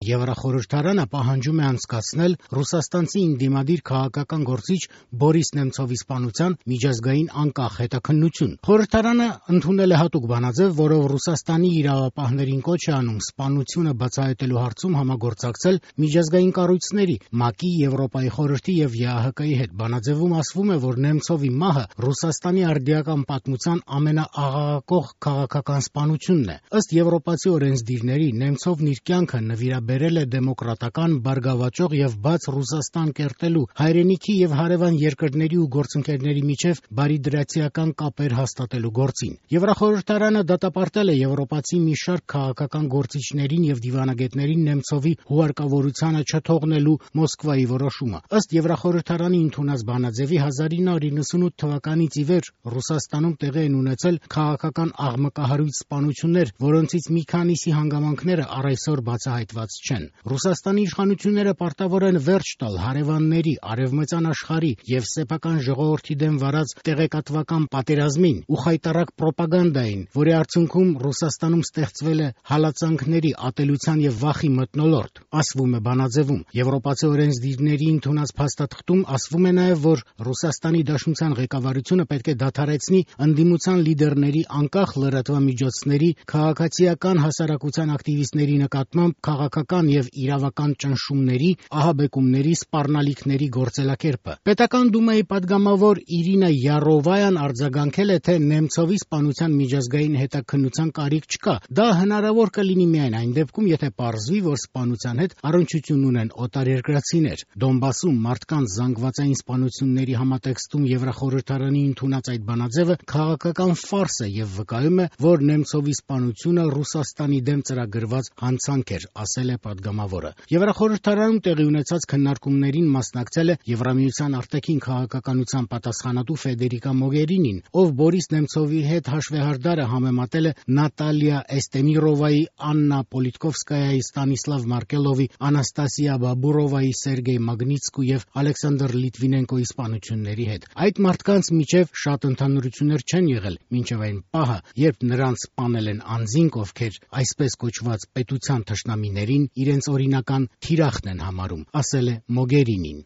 Եվրախորհրդարանը պահանջում է անցկացնել ռուսաստանցի ընդդիմադիր քաղաքական գործիչ Բորիս Նեմցովի սպանության միջազգային անկախ հետաքննություն։ Խորհրդարանը ընդունել է հատուկ բանաձև, որով Ռուսաստանի իրավապահներին կոչ է անում սպանությունը բացահայտելու հարցում համագործակցել միջազգային կառույցների, ՄԱԿ-ի, Եվրոպայի խորհրդի եւ ԵԱՀԿ-ի հետ։ Բանաձևում ասվում է, որ Նեմցովի մահը Ռուսաստանի արդիական պատմության ամենաաղաղակող քաղաքական սպանությունն է։ Ըստ եվրոպացի օրենսդիրների, Նեմցովն իր կյանքը նվիրաբերել է դեմոկրատական, բարգավաճող եւ բաց Ռուսաստան կերտելու, հայրենիքի եւ հարևան երկրների ու գործընկերների միջև բարիդրացիական կապեր հաստատելու գործին։ Եվրախորհրդարանը դատապարտել է եվրոպացի մի շարք քաղաքական գործիչներին եւ դիվանագետներին Նեմցովի հուարկավորությանը չթողնելու Մոսկվայի որոշումը։ Ըստ Եվրախորհրդարանի ընդունած բանաձևի 1998 թվականից ի վեր Ռուսաստանում տեղի են ունեցել քաղաքական աղմկահարույց սպանություններ, որոնցից մի քանիսի հանգամանքները առ այսօր բացահայտված չեն։ Ռուսաստանի իշխանությունները պարտավոր են վերջ տալ հարևանների, արևմտյան աշխարհի եւ սեփական ժողովրդի դեմ վարած տեղեկատվական պատերազմին ու խայտառակ պրոպագանդային, որի արդյունքում Ռուսաստանում ստեղծվել է հալածանքների, ատելության եւ վախի մթնոլորտ, ասվում է բանաձևում։ Եվրոպացի օրենսդիրների ընդունած փաստաթղթում ասվում է նաեւ, որ Ռուսաստանի Դաշնության ղեկավարությունը պետք է դադարեցնի ընդդիմության լիդերների, անկախ լրատվամիջոցների, քաղաքացիական հասարակության ակտիվիստների նկատմամբ քաղաքական եւ իրավական ճնշումների, ահաբեկումների, սպառնալիքների գործելակերպը։ Պետական դումայի падգամավոր Իրինա Յարովայան արձագանքել է, թե Նեմցովի սպանության միջազգային հետաքննության կարիք չկա։ Դա հնարավոր կլինի միայն այն դեպքում, եթե պարզվի, որ սպանության հետ առնչություն ունեն օտարերկրացիներ։ Դոնբասում մարդկանց զանգվածային սպանությունների համատեքստում Եվրախորհրդարանի ընդունած այդ բանաձևը քաղաքական ֆարս է եւ վկայում է, որ Նեմցովի սպանությունը Ռուսաստանի դեմ ծրագրված հանցանք էր, ասել է падգամավորը։ Եվրախորհրդարանում տեղի ունեցած քննարկումներին մասնակցել է Եվրամիության արտաքին քաղաքականության պատասխանատու Ֆեդերիկա Մոգերինին, ով Բորիս Նեմցովի հետ հաշվեհարդարը համեմատել է Նատալիա Էստեմիրովայի, Աննա Պոլիտկովսկայայի, Ստանիսլավ Մարկելովի, Անաստասիա Բաբուրովայի, Սերգեյ Մագնիցկու եւ Ալեքսանդր Լիտվինենկոյի սպանությունների հետ։ Այդ մարդկանց միջև շատ ընդհանրություններ չեն եղել, մինչև այն պահը, երբ նրանց սպանել են անձինք, ովքեր այսպես կոչված պետության թշնամիներին իրենց օրինական թիրախն են համարում, ասել է Մոգերինին։